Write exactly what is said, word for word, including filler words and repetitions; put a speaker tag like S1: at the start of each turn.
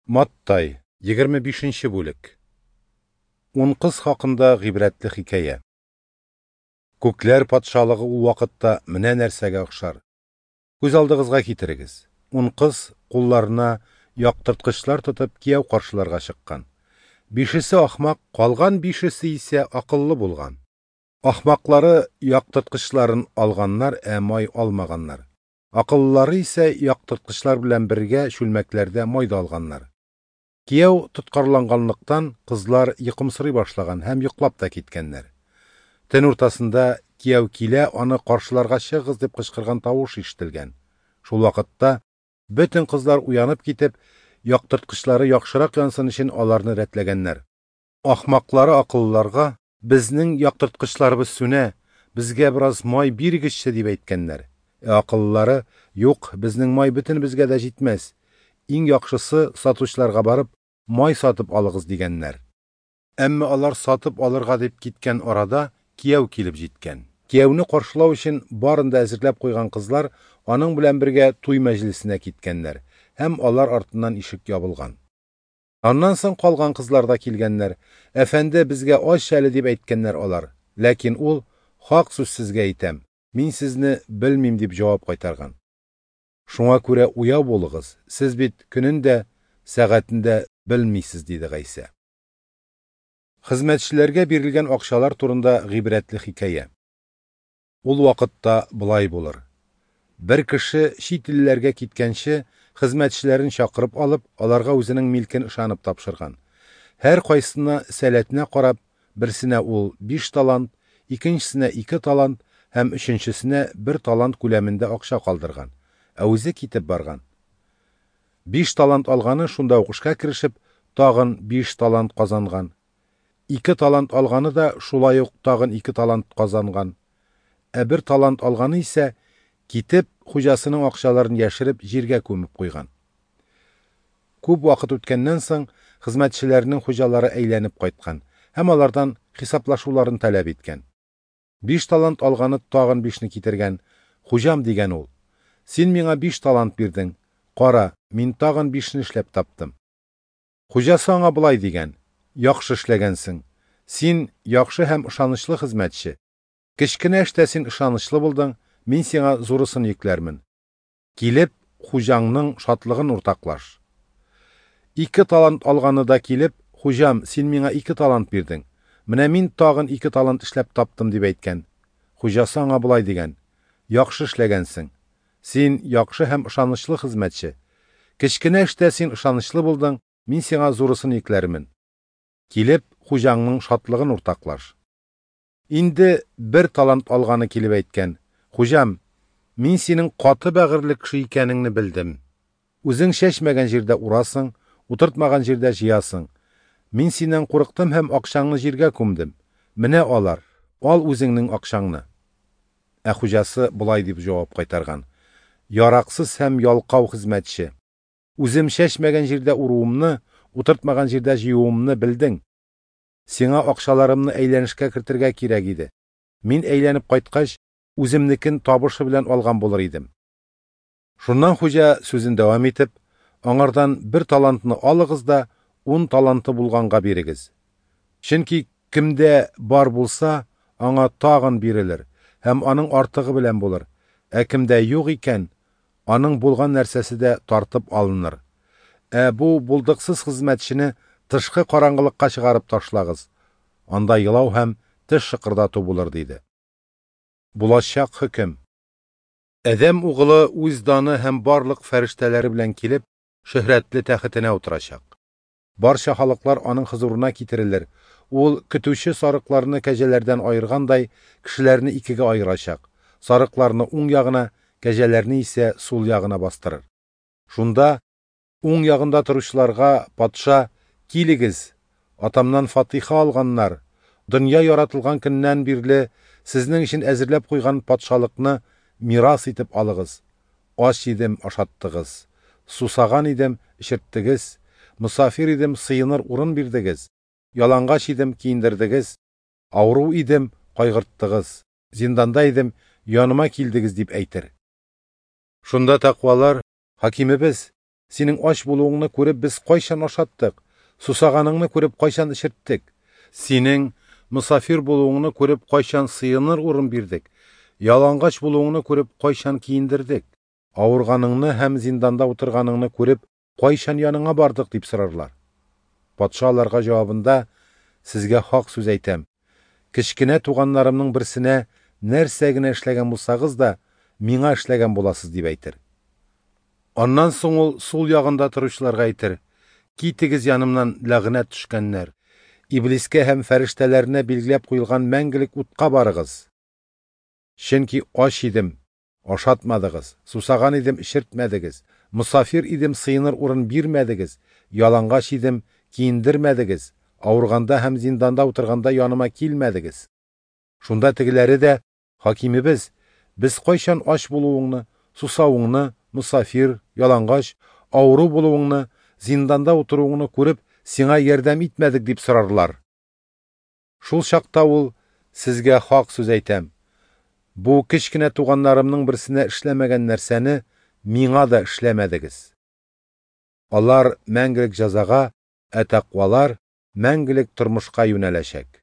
S1: Маттай, егерме бишенче бүлек. Ун кыз хакында гыйбрәтле хикәя. Күкләр патшалыгы ул вакытта менә нәрсәгә охшар. Күз алдыгызга китерегез. Ун кыз кулларына яктырткычлар тотып кияү каршыларга чыккан. Бишесе ахмак, калган бишесе исә акыллы булган. Ахмаклары яктырткычларын алганнар, ә май алмаганнар. Акыллылары исә яктырткычлар белән бергә чүлмәкләрдә май да алганнар. Кияү тоткарланганлыктан кызлар йокымсырый башлаган һәм йоклап та киткәннәр. Төн уртасында кияү килә, аны каршыларга чыгыгыз дип кычкырган тавыш ишетелгән. Шул вакытта бөтен кызлар уянып китеп, яктырткычлары яхшырак янсын өчен аларны рәтләгәннәр. Ахмаклары акыллыларга: "Безнең яктырткычларыбыз сүнә, безгә бераз май бирегезче", дип әйткәннәр. Ә акыллылары: "Юк, безнең май бөтенебезгә дә җитмәс. Иң яхшысы сатучыларга барып май сатып алыгыз", дигәннәр. Әмма алар сатып алырга дип киткән арада кияү килеп җиткән. Кияүне каршылау өчен барын да әзерләп куйган кызлар аның белән бергә туй мәҗлесенә киткәннәр һәм алар артыннан ишек ябылган. Аннан соң калган кызлар да килгәннәр. "Әфәнде, безгә ач әле", дип әйткәннәр алар. Ләкин ул: "Хак сүз сезгә әйтәм, мин сезне белмим", дип җавап кайтарган. Шуңа күрә уяу булыгыз, сез бит көнен дә, сәгатен дә белмисез, диде Гайсә. Хезмәтчеләргә бирелгән акчалар турында гыйбрәтле хикәя. Ул вакытта болай булыр. Бер кеше чит илләргә киткәнче хезмәтчеләрен чакырып алып, аларга үзенең милкен ышанып тапшырган. Һәр кайсына сәләтенә карап, берсенә ул биш талант, икенчесенә ике талант һәм өченчесенә бер талант күләмендә акча калдырган, ә үзе китеп барган. Биш талант алганы шунда ук эшкә керешеп, тагын биш талант казанган. Ике талант алганы да шулай ук тагын ике талант казанган. Ә бер талант алганы исә китеп, хуҗасының акчаларын яшереп җиргә күмеп куйган. Күп вакыт үткәннән соң хезмәтчеләрнең хуҗалары әйләнеп кайткан һәм алардан хисаплашуларын таләп иткән. Биш талант алганы тагын бишне китергән. "Хуҗам", дигән ул, "син миңа биш талант бирдең. Кара, мин тагын бишне эшләп таптым." Хуҗасы аңа болай дигән: "Яхшы эшләгәнсең. Син яхшы һәм ышанычлы хезмәтче. Кечкенә эштә син ышанычлы булдың, мин сиңа зурысын йөкләрмен. Килеп, хуҗаңның шатлыгын уртаклаш." Ике талант алганы да килеп, "Хуҗам, син миңа ике талант бирдең. Менә мин тагын ике талант эшләп таптым", дип әйткән. Хуҗасы аңа болай дигән: "Яхшы эшләгәнсең. Син яхшы һәм ышанычлы хезмәтче. Кечкенә эштә син ышанычлы булдың, мин сиңа зурысын йөкләрмен. Килеп, хуҗаңның шатлыгын уртаклаш." Инде бер талант алганы килеп әйткән: "Хуҗам, мин синең каты бәгырьле кеше икәнеңне белдем. Үзең чәчмәгән җирдә урасың, утыртмаган җирдә җыясың. Мин синнән курыктым һәм акчаңны җиргә күмдем. Менә алар, ал үзеңнең акчаңны." Ә хуҗасы болай дип җавап кайтарган: "Яраксыз һәм ялкау хезмәтче. Үзем чәчмәгән җирдә уруымны, утыртмаган җирдә җыюымны белдең. Сиңа акчаларымны әйләнешкә кертергә кирәк иде. Мин әйләнеп кайткач, үземнекен табышы белән алган булыр идем." Шуннан хуҗа сүзен дәвам итеп: "Аңардан бер талантны алыгыз да ун таланты булганга бирегез. Чөнки кемдә бар булса, аңа тагын бирелер һәм аның артыгы белән булыр. Ә кемдә юк икән, аның булган нәрсәсе дә тартып алыныр. Ә бу булдыксыз хезмәтчене тышкы караңгылыкка чыгарып ташлагыз. Анда елау һәм теш шыкырдату булыр", диде. Булачак хөкем. Адәм угылы үз даны һәм барлык фәрештәләре белән килеп, шөһрәтле тәхетенә утырачак. Барча халыклар аның хозурына китерелер. Ул көтүче сарыкларны кәҗәләрдән аергандай, кешеләрне икегә аерачак. Сарыкларны уң ягына, кәҗәләрне исә сул ягына бастырыр. Шунда уң ягында торучыларга патша: "Килегез, атамнан фатиха алганнар, дөнья яратылган көннән бирле сезнең өчен әзерләп куйган патшалыкны мирас итеп алыгыз. Ач идем, ашаттыгыз, сусаган идем, эчерттегез, мосафир идем, сыеныр урын бирдегез, ялангач идем, киендердегез, авыру идем, кайгырттыгыз, зинданда идем, яныма килдегез", дип әйтер. Шунда тәкъвалар: "Хакимебез, Синең ач булуыңны күреп без кайчан ашаттык, сусаганыңны күреп кайчан эчерттек? Синең мосафир булуыңны күреп кайчан сыеныр урын бирдек, ялангач булуыңны күреп кайчан киендердек? Авырганыңны һәм зинданда утырганыңны күреп кайчан яныңа бардык? Дип сорарлар. Патша аларга җавабында: Сезгә хак сүз әйтәм, кечкенә туганнарымның берсенә нәрсә генә эшләгән булсагыз да, миңа эшләгән буласыз, дип әйтер. Аннан соң ул сул ягында торучыларга әйтер: Китегез янымнан, ләгънәт төшкәннәр! Иблискә һәм фәрештәләренә билгеләп куелган мәңгелек утка барыгыз. Чөнки ач идем, ашатмадыгыз, сусаган идем, эчертмәдегез, мосафир идем, сыеныр урын бирмәдегез, ялангач идем, киендермәдегез, авырганда һәм зинданда утырганда яныма килмәдегез. Шунда тегеләре дә: Хакимебез, без кайчан ач булуыңны, сусавыңны, мосафир, ялангач, авыру булуыңны, зинданда утыруыңны күреп, сиңа ярдәм итмәдек, дип сорарлар. Шул чакта ул: Сезгә хак сүз әйтәм, бу кечкенә туганнарымның берсенә эшләмәгән нәрсәне миңа да эшләмәдегез. Алар мәңгелек җәзага, ә тәкъвалар мәңгелек тормышка юнәләчәк.